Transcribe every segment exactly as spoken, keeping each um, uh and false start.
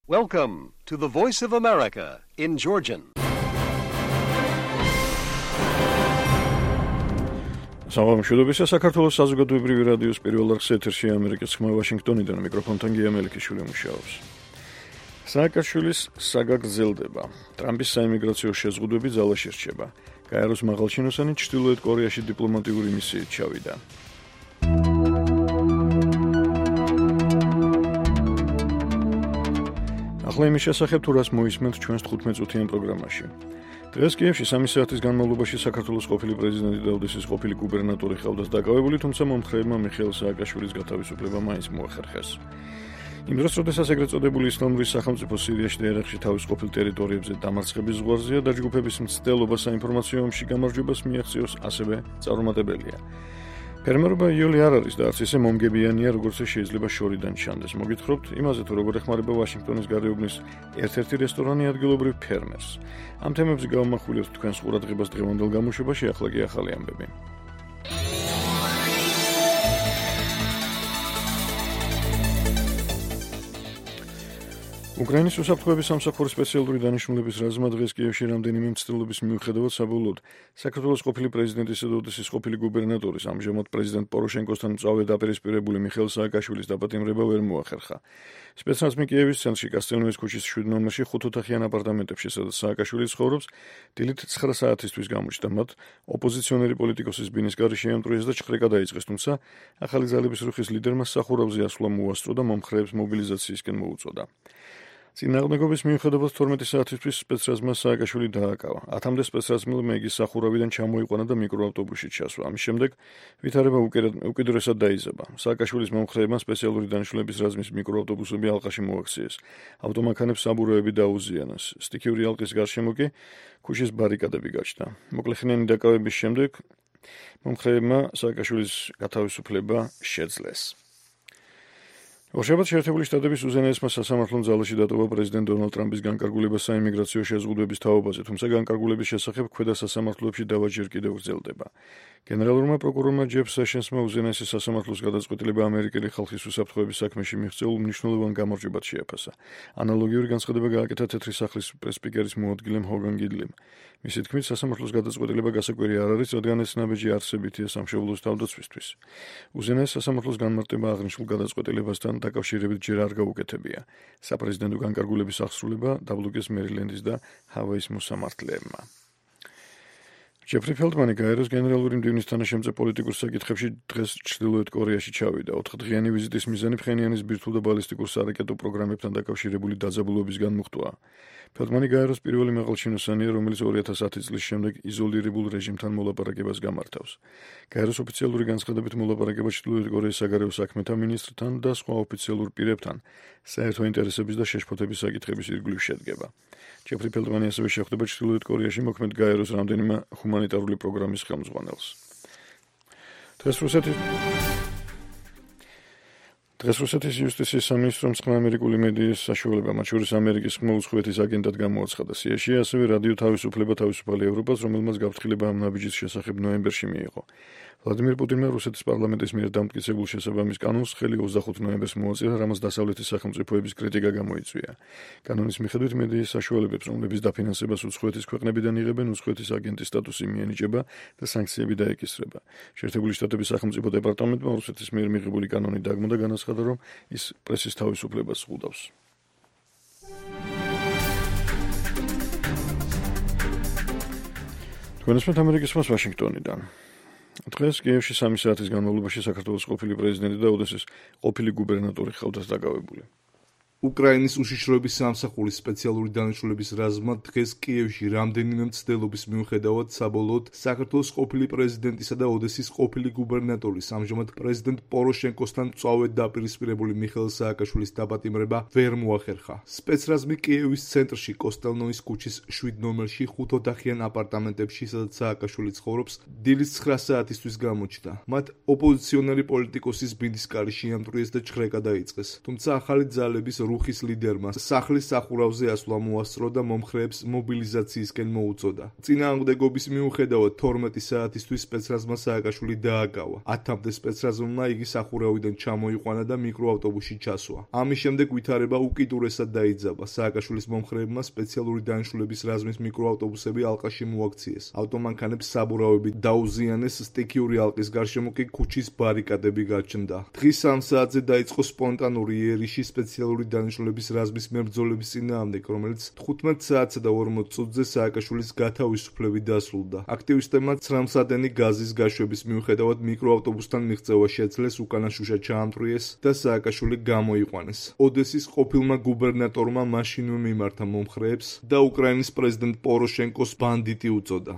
Welcome to the Voice of America in Georgian. სამომშვიდობისა საქართველოს საზოგადოებრივი რადიოს პირველ არხს ეთერში ამერიკის ხმა ვაშინგტონიდან მიკროფონთან გია მელიქიშვილი მუშაობს. სააკაშვილის საგა გრძელდება. ტრამპის საიმიგრაციო შეზღუდვები ძალაში რჩება. გაეროს მაღალჩინოსანი ჩრდილოეთ კორეაში დიპლომატიური მისიით ჩავიდა. ახლა იმის შესახებ თუ რას მოისმენთ ჩვენს თხუთმეტ წუთიან პროგრამაში. დღეს კიევში სამი საათის განმავლობაში საქართველოს ყოფილი პრეზიდენტი და ოდესის ყოფილი გუბერნატორი ყავდათ დაკავებული, თუმცა მომხრეებმა მიხეილ სააკაშვილის გათავისუფლება მაინც მოახერხეს. იმ დროს, როდესაც ეგრეთ წოდებული ისლამური სახელმწიფო სირიაში და ერაყში თავის ყოფილ ტერიტორიებზე დამარცხების ზღვარზეა, დაჯგუფების მცდელობა საინფორმაციო ომში გამარჯვებას მიაღწიოს ასევე წარუმატებელია. ფერმერობა იოლი არ არის და არც ისე მომგებიანია, როგორც შეიძლება შორიდან ჩანდეს. მოგითხრობთ იმაზე, თუ როგორ ეხმარება ვაშინგტონის გარეუბნის ერთ-ერთი რესტორანი ადგილობრივ ფერმერს. ამ თემებზე გავამახვილებთ თქვენს ყურადღებას დღევანდელ გამოშვებაში, ახლა კი ახალი ამბები. უკრაინის უსაფრთხოების სამსახურის სპეციალური დანიშნულების რაზმმა დღეს კიევში რამდენიმე მცდელობის მიუხედავად საბოლოოდ საქართველოს ყოფილი პრეზიდენტისა და ოდესის ყოფილი გუბერნატორის, ამჟამად პრეზიდენტ პოროშენკოსთან მწვავედ დაპირისპირებული მიხეილ სააკაშვილის დაპატიმრება ვერ მოახერხა. სპეცნაზმი კიევის ცენტრში კასტელნოვის ქუჩის შვიდ ნომერში ხუთოთახიან აპარტამენტებში, სადაც სააკაშვილი ცხოვრობს, დილით ცხრა საათისთვის გამოჩნდა მათ ოპოზიციონერი პოლიტიკოსის ბინის გარეშე ემტვრიეს და ჭხრეკა დაიწყეს, თუმცა ახალი ძალების რუხის ლიდერმა სახურავზე ასვლა მოასწრო და მომხრეებს მობილიზაციისკენ მოუწოდა. წინააღმდეგობის მიუხედავად თორმეტი საათისთვის სპეცრაზმმა სააკაშვილი დააკავა. ათამდე სპეცრაზმელმა იგი სახურავიდან ჩამოიყვანა და მიკროავტობუსში ჩასვა. ამის შემდეგ ვითარება უკიდურესად დაიზაბა. სააკაშვილის მომხრეებმა სპეციალური დანიშნულების რაზმის მიკროავტობუსები ალყაში მოაქციეს. ავტომანქანებს საბურავები დაუზიანეს. სტიქიური ალყის გარშემო კი ქუჩის ბარიკადები გაჩნდა. მოკლეხნიანი დაკავების შემდეგ მომხრეებმა სააკაშვილის გათავისუფლება შეძლეს. ორშაბათს შეერთებული შტატების უზენაესმა სასამართლომ ძალაში დატოვა პრეზიდენტ დონალდ ტრამპის განკარგულება საიმიგრაციო შეზღუდვების თაობაზე, თუმცა განკარგულების შესახებ ქვედა სასამართლოებში დავა ჯერ კიდევ გრძელდება. გენერალურმა პროკურორმა ჯეფ სეშენსმა უზენაესი სასამართლოს გადაწყვეტილება ამერიკელი ხალხის უსაფრთხოების საქმეში მიღწეულ მნიშვნელოვან გამარჯვებად შეაფასა. ანალოგიური განცხადება გააკეთა თეთრი სახლის პრეს-სპიკერის მოადგილემ ჰოგან გიდლიმ. მისი თქმით, სასამართლოს გადაწყვეტილება გასაკვირი არ არის, რადგან ეს ნაბიჯი არსებითია სამშობლოს თავდაცვისთვის. უზენაეს სასამართლოს განმარტება აღნიშნულ გადაწყვეტილებასთან დაკავშირებით ჯერ არ გაუკეთებია. საპრეზიდენტო განკარგულების აღსრულება დაბლოკეს მერილენდის და ჰავაის მოსამართლეებმა. ჯეფრი ფელდმანი გაეროს გენერალური მდივნის თანაშემწე პოლიტიკურ საკითხებში დღეს ჩრდილოეთ კორეაში ჩავიდა. ოთხდღიანი ვიზიტის მიზანი ფხენიანის ბირთვულ და ბალისტიკურ სარაკეტო პროგრამებთან დაკავშირებული დაძაბულობისგან მოხტვა. ფელდმანი გაეროს პირველი მაღალჩინოსანია, რომელიც ორი ათას ათი წლის შემდეგ იზოლირებულ რეჟიმთან მოლაპარაკებას გამართავს. გაეროს ოფიციალური განცხადებით მოლაპარაკება ჩრდილოეთ კორეის საგარეო საქმეთა მინისტრთან და სხვა ოფიციალურ პირებთან საერთო ინტერესების და შეშფოთების საკითხების ირგვლივ შედგება. ჯეფრი ფელდმანი ასევე შეხვდება ჩრდილოეთ კორეაში მოქმედ გაეროს რამდენიმე ჰუმანიტარული პროგრამის ხელმძღვანელს. დღეს რუსეთის დღეს რუსეთის იუსტიციის სამინისტრომ ცხრა ამერიკული მედიის საშუალება, მათ შორის ამერიკის ხმოვ უცხოეთის აგენტად გამოაცხადა. სიაში ასევე რადიო თავისუფლება თავისუფალი ევროპას, რომელმაც გაფრთხილება ამ ნაბიჯის შესახებ ნოემბერში მიიღო. ვლადიმირ პუტინმა რუსეთის პარლამენტის მიერ დამტკიცებულ შესაბამის კანონს ხელი ოცდახუთ ნოემბერს მოაწირა, რამაც დასავლეთის სახელმწიფოების კრიტიკა გამოიწვია. კანონის მიხედვით მედიის საშუალებებს, რომლების დაფინანსებას უცხოეთის ქვეყნებიდან იღებენ, უცხოეთის აგენტის სტატუსი მიენიჭება და სანქციები დაეკისრება. შეერთებული შტატების სახელმწიფო დეპარტამენტმა რუსეთის მიერ მიღებული კანონი დაგმო და განაცხადა, რომ ის პრესის თავისუფლებას ზღუდავს. თქვენესმეთ ამერიკის ხმას ვაშინგტონიდან. დღეს კიევში სამი საათის განმავლობაში საქართველოს ყოფილი პრეზიდენტი და ოდესის ყოფილი გუბერნატორი ყავდათ დაკავებული. უკრაინის უშიშროების სამსახურის სპეციალური დანიშნულების რაზმმა დღეს კიევში რამდენიმე მცდელობის მიუხედავად საბოლოოდ საქართველოს ყოფილი პრეზიდენტისა და ოდესის ყოფილი გუბერნატორის, ამჟამად პრეზიდენტ პოროშენკოსთან მწვავედ დაპირისპირებული მიხეილ სააკაშვილის დაპატიმრება ვერ მოახერხა. სპეცრაზმი კიევის ცენტრში კოსტელნოვის ქუჩის შვიდ ნომერში ხუთოთახიან აპარტამენტებში, სადაც სააკაშვილი ცხოვრობს, დილის ცხრა საათისთვის გამოჩნდა. მათ ოპოზიციონერი პოლიტიკოსის ბინის კარი შეამტვრიეს და ჭხრეკა დაიწყეს. თუმცა ახალი ძალების რუხის ლიდერმა სახლის სახურავზე ასვლა მოასწრო და მომხრეებს მობილიზაციისკენ მოუწოდა. წინააღმდეგობის მიუხედავად თორმეტი საათისთვის სპეცრაზმა სააკაშვილი დააკავა. ათამდე სპეცრაზმა იგი სახურავიდან ჩამოიყვანა და მიკროავტობუსში ჩასვა. ამის შემდეგ ვითარება უკიდურესად დაიძაბა. სააკაშვილის მომხრეებმა სპეციალური დანიშნულების რაზმის მიკროავტობუსები ალყაში მოაქციეს. ავტომანქანებს საბურავები დაუზიანეს, სტიქიური ალყის გარშემო კი ქუჩის ბარიკადები გაჩნდა. დღის სამ საათზე დაიწყო სპონტანური იერიში სპეციალური დანიშნულების რაზმის მებრძოლების წინააღმდეგ, რომელიც თხუთმეტ საათსა და ორმოც წუთზე სააკაშვილის გათავისუფლებით დასრულდა. აქტივისტებმა ცრემლსადენი გაზის გაშვების მიუხედავად მიკროავტობუსთან მიღწევა შეძლეს, უკანა შუშა ჩაამტვრიეს და სააკაშვილი გამოიყვანეს. ოდესის ყოფილმა გუბერნატორმა მაშინვე მიმართა მომხრეებს და უკრაინის პრეზიდენტ პოროშენკოს ბანდიტი უწოდა.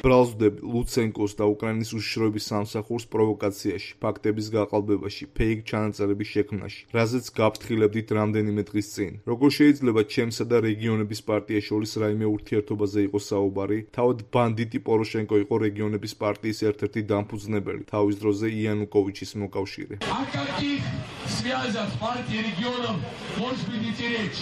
ბრალზდები ლუცენკოს და უკრაინის უშიშროების სამსახურს პროვოკაციაში, ფაქტების გაყალბებაში, ფეიქ ჩანაწერების შექმნაში, რაზეც გაფრთხილებდით რამდენიმე დღის წინ. როგორ შეიძლება ჩემსა და რეგიონების პარტიას შორის რაიმე ურთიერთობაზე იყოს საუბარი? თავად ბანდიტი პოროშენკო იყო რეგიონების პარტიის ერთ-ერთი დამფუძნებელი, თავის დროზე იანუკოვიჩის მოკავშირე. связав с партией регионов, может быть идти речь.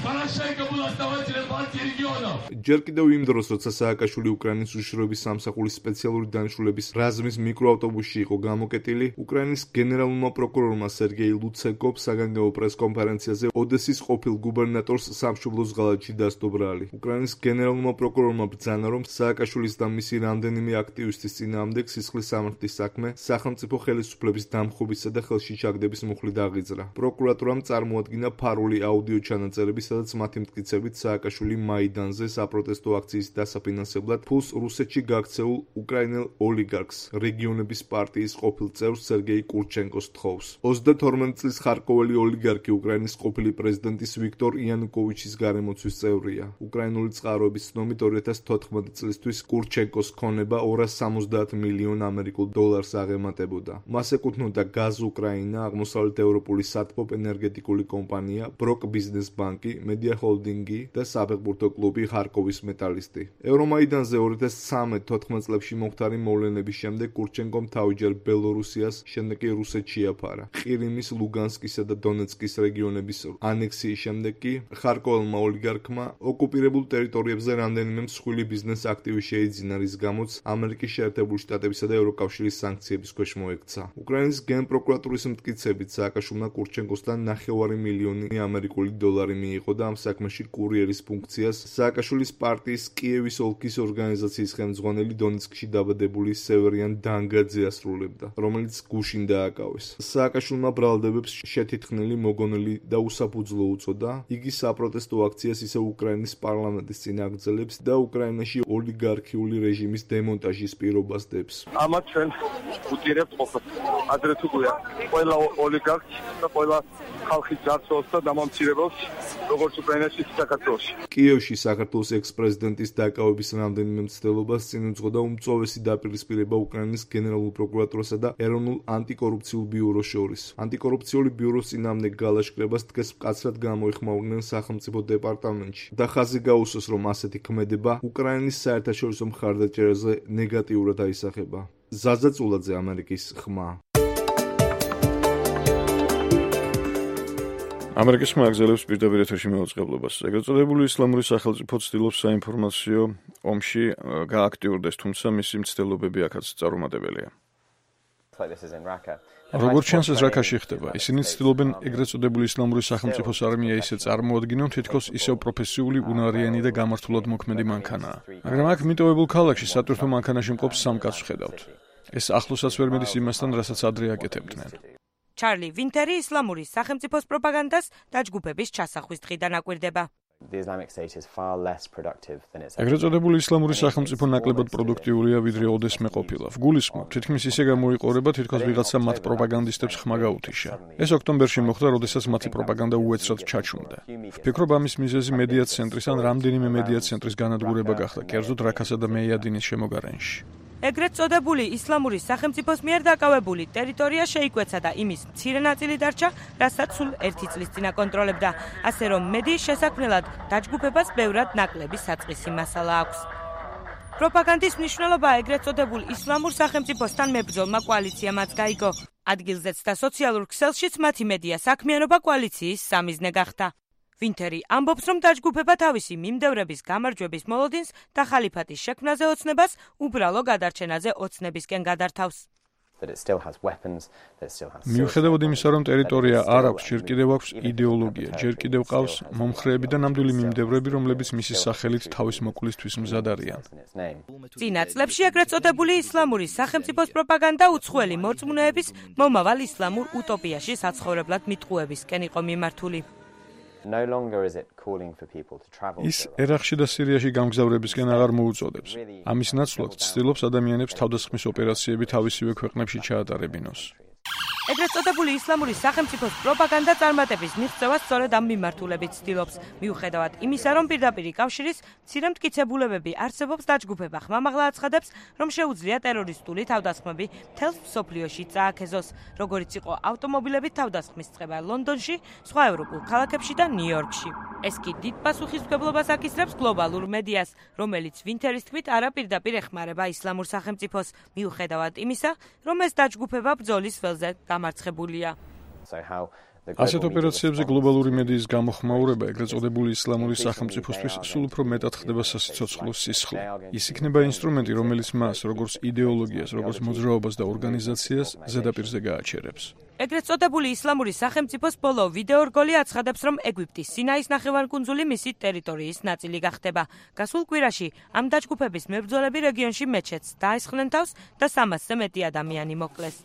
Порошенко был основателем партии регионов. ჯერ კიდევ იმ დროს, როცა სააკაშვილი უკრაინის უშიშროების სამსახურის სპეციალური დანიშნულების რაზმის მიკროავტობუსში იყო გამოკეტილი, უკრაინის გენერალურმა პროკურორმა სერგეი ლუცენკომ საგანგებო პრესკონფერენციაზე ოდესის ყოფილ გუბერნატორს სამშობლოს ღალატში დასდო ბრალი. უკრაინის გენერალურმა პროკურორმა ბრძანა, რომ სააკაშვილის და მისი რამდენიმე აქტივისტის წინააღმდეგ სისხლის სამართლის საქმე სახელმწიფო ხელისუფლების დამხობისა და ხელში ჩაგდების მუხლი დაღიძრა. პროკურატურამ წარმოადგინა ფარული აუდიო ჩანაწერები, სადაც მათი მტკიცებით სააკაშვილი მაიდანზე საპროტესტო აქციის დასაფინანსებლად ფულს რუსეთში გაქცეულ უკრაინელ ოლიგარქს, რეგიონების პარტიის ყოფილ წევრს სერგეი კურჩენკოს თხოვს. ოცდათორმეტ წლის ხარკოველი ოლიგარქი უკრაინის ყოფილი პრეზიდენტის ვიქტორ იანუკოვიჩის გარემოცვის წევრია. უკრაინული წყაროების ცნობით ორი ათას თოთხმეტი წლისთვის კურჩენკოს ქონება ორას სამოცდაათ მილიონ ამერიკულ დოლარს აღემატებოდა. მას ეკუთვნოდა გაზ უკრაინა, აღმოსავლეთ ევროპული სათბობ ენერგეტიკული კომპანია, ბროკ ბიზნეს ბანკი, მედია ჰოლდინგი და საფეხბურთო კლუბი ხარკოვის მეტალისტი. ევრომაიდანზე ორი ათას ცხრამეტ თოთხმეტ წლებში მომხდარი მოვლენების შემდეგ კურჩენკომ თავჯერ ბელორუსიას, შემდეგ კი რუსეთში აფარა. ყირიმის, ლუგანსკისა და დონეცკის რეგიონების ანექსიის შემდეგ კი ხარკოველმა ოლიგარქმა ოკუპირებულ ტერიტორიებზე რამდენიმე მსხვილი ბიზნეს აქტივი შეიძინა, რის გამოც ამერიკის შეერთებული შტატებისა და ევროკავშირის სანქციების ქვეშ მოექცა. უკრაინის გენპროკურატურის მტკიცებით სააკაშვილმა კურჩენკოსთან ნახევარი მილიონი ამერიკული დოლარი მიიღო და ამ საქმეში კურიერის ფუნქციას სააკაშვილის პარტიის კიევის ოლქის ორგანიზაციის ხელმძღვანელი დონეცკში დაბადებული სევერიან დანგაძე ასრულებდა, რომელიც გუშინ დააკავეს. სააკაშვილმა ბრალდებებს შეთითხნილი, მოგონილი და უსაფუძვლო უწოდა. იგი საპროტესტო აქციას ისევ უკრაინის პარლამენტის წინ აგრძელებს და უკრაინაში ოლიგარქიული რეჟიმის დემონტაჟის პირობას დებს. ამათ ჩვენ ვუტირებთ ყოფილ ადრე თუ გვია ყველა ოლიგარქს და ყველა ხალხის ძარცველს და დამამცირებელს, როგორც უკრაინაში, საქართველოში. კიევში საქართველოს ექს-პრეზიდენტის დაკავების რამდენიმე მცდელობას წინ უძღოდა უმწვავესი დაპირისპირება უკრაინის გენერალურ პროკურატურასა და ეროვნულ ანტიკორუფციულ ბიუროს შორის. ანტიკორუფციული ბიუროს წინააღმდეგ გალაშქრებას დღეს მკაცრად გამოიხმაურნენ სახელმწიფო დეპარტამენტში და ხაზი გაუსვეს, რომ ასეთი ქმედება უკრაინის საერთაშორისო მხარდაჭერაზე ნეგატიურად აისახება. ზაზა წულაძე, ამერიკის ხმა. ამერიკის ხმა აგზელებს პირდაპირ ეთერში მეუწყებლობას. ეგრეთ წოდებული ისლამური სახელმწიფო ცდილობს საინფორმაციო ომში გააქტიურდეს, თუმცა მისი მცდელობები აქაც წარუმატებელია. როგორც ჩანს, ეს რაკაში ხდება. ისინი ცდილობენ ეგრეთ წოდებული ისლამური სახელმწიფოს არმია ისე წარმოადგინონ, თითქოს ისევ პროფესიული, უნარიანი და გამართულად მოქმედი მანქანაა. მაგრამ აქ მიტოვებულ ქალაქში სატვირთო მანქანაში მყოფ სამ კაცს ვხედავთ. ეს ახლოსაც ვერ მედის იმასთან, რასაც ადრე აკეთებდნენ. ჩარლი ვინტერი ისლამური სახელმწიფოს პროპაგანდას დაჯგუფების ჩასახვის დღიდან აკვირდება. ეგრეთ წოდებული ისლამური სახელმწიფო ნაკლებად პროდუქტიულია, ვიდრე ოდესმე ყოფილა. ვგულისხმობ, თითქმის ისე გამოიყურება, თითქოს ვიღაცა მათ პროპაგანდისტებს ხმა გაუთიშა. ეს ოქტომბერში მოხდა, როდესაც მათი პროპაგანდა უეცრად ჩაჩუნდა. ვფიქრობ, ამის მიზეზი მედია ცენტრის ან რამდენიმე მედია ცენტრის განადგურება გახდა, კერძოდ რაქასა და მეიადინის შემოგარენში. ეგრეთ წოდებული ისლამური სახელმწიფოს მიერ დაკავებული ტერიტორია შეიკვეცა და იმის მცირე ნაწილი დარჩა, რასაც სულ ერთი წლის წინ აკონტროლებდა. ასე რომ მედიის შესაქმნელად დაჯგუფებას ბევრად ნაკლები საწყისი მასალა აქვს. პროპაგანდის მნიშვნელობა ეგრეთ წოდებულ ისლამურ სახელმწიფოსთან მებრძოლმა კოალიციამაც გაიგო. ადგილზეც და სოციალურ ქსელშიც მათი მედია საქმიანობა კოალიციის სამიზნე გახდა. ვინტერი ამბობს, რომ დაჯგუფება თავისი მიმდევრების გამარჯვების მოლოდინს და ხალიფატის შექმნაზე ოცნებას უბრალო გადარჩენაზე ოცნებისკენ გადართავს. მიუხედავად იმისა, რომ ტერიტორია არ აქვს, ჯერ კიდევ აქვს იდეოლოგია, ჯერ კიდევ ყავს მომხრეები და ნამდვილი მიმდევრები, რომლებიც მისი სახელით თავის მოკლისთვის მზად არიან. წინა წლებში ეგრეთ წოდებული ისლამური სახელმწიფოს პროპაგანდა უცხოელი მორწმუნეების მომავალ ისლამურ utopიაში საცხოვრებლად მიტყუებისკენ იყო მიმართული. ის ერაყში და სირიაში გამგზავრებისკენ აღარ მოუწოდებს. ამის ნაცვლად ცდილობს ადამიანებს თავდასხმის ოპერაციები თავისივე ქვეყნებში ჩაატარებინოს. ეგრეთ წოდებული ისლამური სახელმწიფოს პროპაგანდა წარმატების მიღწევას სწორედ ამ მიმართულებით ცდილობს. მიუხედავად იმისა, რომ პირდაპირი კავშირის მცირე მტკიცებულებები არსებობს, დაჯგუფება ხმამაღლა აცხადებს, რომ შეუძლია ტერორისტული თავდასხმები მთელს მსოფლიოში წააქეზოს, როგორიც იყო ავტომობილებით თავდასხმის წყება ლონდონში, სხვა ევროპულ ქალაქებში და ნიუ-იორკში. ეს კი დიდ პასუხისმგებლობას აკისრებს გლობალურ მედიას, რომელიც ვინტერის თქმით არაპირდაპირ ეხმარება ისლამურ სახელმწიფოს, მიუხედავად იმისა, რომ ეს დაჯგუფება ბრძოლის ველზე გამარცხებულია. ასეთ ოპერაციებზე გლობალური მედიის გამოხმაურება ეგრეთ წოდებული ისლამური სახელმწიფოსთვის სულ უფრო მეტად ხდება სასიცოცხლო სისხლი. ის იქნება ინსტრუმენტი, რომელიც მას, როგორც იდეოლოგიას, როგორც მოძრაობას და ორგანიზაციას ზედაპირზე გააჩერებს. ეგრეთ წოდებული ისლამური სახელმწიფოს ბოლო ვიდეორგოლი აცხადებს, რომ ეგვიპტის სინაის ნახევარკუნძული მისი ტერიტორიის ნაწილი გახდება. გასულ კვირაში ამ დაჯგუფების მებრძოლები რეგიონში მეჩეთს დაესხნენ თავს და სამასზე მეტი ადამიანი მოკლეს.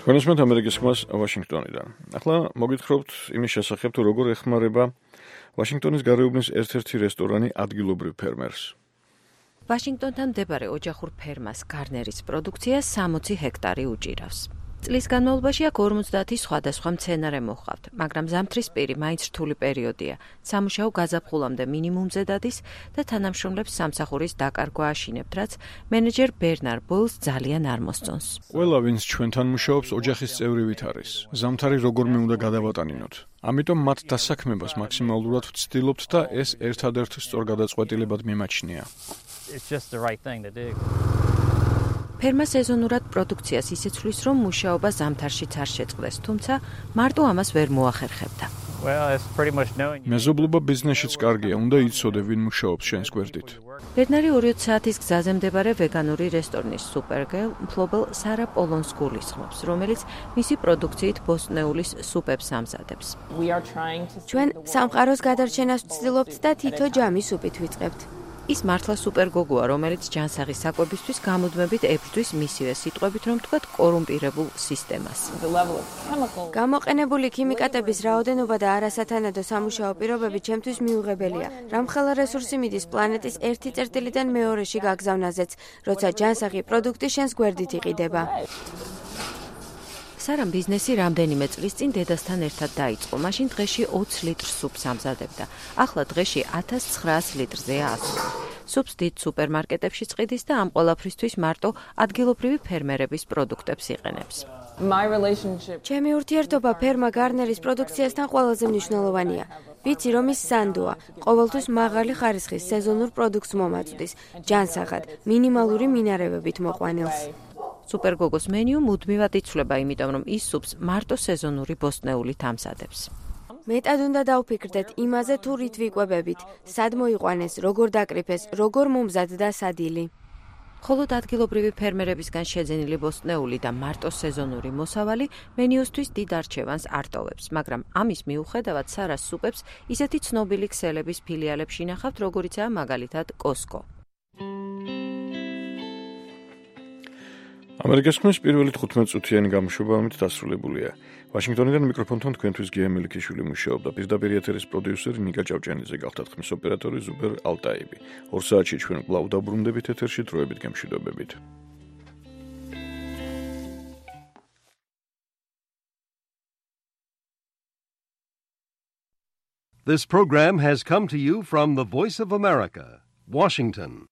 თქვენისმეთ ამერიკის ხმას ვაშინგტონიდან. ახლა მოგითხრობთ იმის შესახებ, თუ როგორ ეხმარება ვაშინგტონის გარეუბნის ერთ-ერთი რესტორანი ადგილობრივ ფერმერს. ვაშინგტონთან მდებარე ოჯახურ ფერმას გარნერის პროდუქცია სამოცი ჰექტარი უჭირავს. წლის განმავლობაში აქ ორმოცდაათი სხვადასხვა მცენარე მოჰყავთ, მაგრამ ზამთრის პირი მაინც რთული პერიოდია. სამუშაო გაზაფხულამდე მინიმუმზე დადის და თანამშრომლებს სამსახურის დაკარგვა აშინებთ, რაც მენეჯერ ბერნარ ბოილს ძალიან არ მოსწონს. ყველა, ვინც ჩვენთან მუშაობს, ოჯახის წევრივით არის. ზამთარი როგორმე უნდა გადავატანინოთ. ამიტომ მათ დასაქმებას მაქსიმალურად ვცდილობთ და ეს ერთადერთ სწორ გადაწყვეტილებად მიმაჩნია. ფერმა სეზონურად პროდუქციას ისეცვლის, რომ მუშაობა ზამთარშიც არ შეწყდეს, თუმცა მარტო ამას ვერ მოახერხებდა. მეზობლობა ბიზნესშიც კარგია, უნდა იცოდე, ვინ მუშაობს შენს გვერდით. ბერნარი ორი საათის გზაზე მდებარე ვეგანური რესტორნის სუპერგელ მფლობელ სარა პოლონს გულისხმობს, რომელიც მისი პროდუქციით ბოსტნეულის სუპებს ამზადებს. ჩვენ სამყაროს გადარჩენას ვცდილობთ და თითო ჯამის სუპით ვიწყებთ. ის მართლა სუპერგოგოა, რომელიც ჯანსაღის საკვებისთვის გამუდმებით ებრძვის მისივე სიტყვებით, რომ თქვათ კორუმპირებულ სისტემას. გამოყენებული ქიმიკატების რაოდენობა და არასათანადო სამუშაო პირობები ჩემთვის მიუღებელია. რამხელა რესურსი მიდის პლანეტის ერთი წერტილიდან მეორეში გაგზავნაზეც, როცა ჯანსაღი პროდუქტი შენს გვერდით იყიდება. სარამ ბიზნესი რამდენიმე წლის წინ დედასთან ერთად დაიწყო. მაშინ დღეში ოცი ლიტრ სუპს ამზადებდა. ახლა დღეში ათას ცხრაას litrზეა ასული. სუპს დიდ სუპერმარკეტებში წყიდის და ამ ყველაფრისთვის მარტო ადგილობრივი ფერმერების პროდუქტებს იყენებს. ჩემი ურთიერთობა ფერმა გარნერის პროდუქციასთან ყველაზე მნიშვნელოვანია. ვიცი, რომ ის სანდოა, ყოველთვის მაღალი ხარისხის სეზონურ პროდუქტს მომაწვდის, ჯანსაღად, მინიმალური მინარევებით მოყვანილს. სუპერგოგოს მენიუ მუდმივად იცვლება, იმიტომ რომ ის სუპს მარტო სეზონური ბოსტნეულით ამზადებს. მეტად უნდა დავფიქრდეთ იმაზე, თუ რით ვიკვებებით, სად მოიყვანეს, როგორ დაკრიფეს, როგორ მომზადდა სადილი. ხოლო ადგილობრივი ფერმერებისგან შეძენილი ბოსტნეული და მარტო სეზონური მოსავალი მენიუსთვის დიდ არჩევანს არ ტოვებს, მაგრამ ამის მიუხედავად სარას სუპებს ისეთი ცნობილი ქსელების ფილიალებში ნახავთ, როგორიცაა მაგალითად კოსკო. ამერიკის ხმის პირველი თხუთმეტ წუთიანი გამოშვება ამით დასრულებულია. ვაშინგტონიდან მიკროფონთან თქვენთვის გია მელიქიშვილი მუშაობდა. პირდაპირ ეთერის პროდიუსერი ნიკა ჭავჭიანიძე გახდა, ხმის ოპერატორი ზუბერ ალტაიბი. ორ საათში ჩვენ კვლავ დაბრუნდებით ეთერში, დროებით გემშვიდობებით. This program has come to you from the Voice of America, Washington.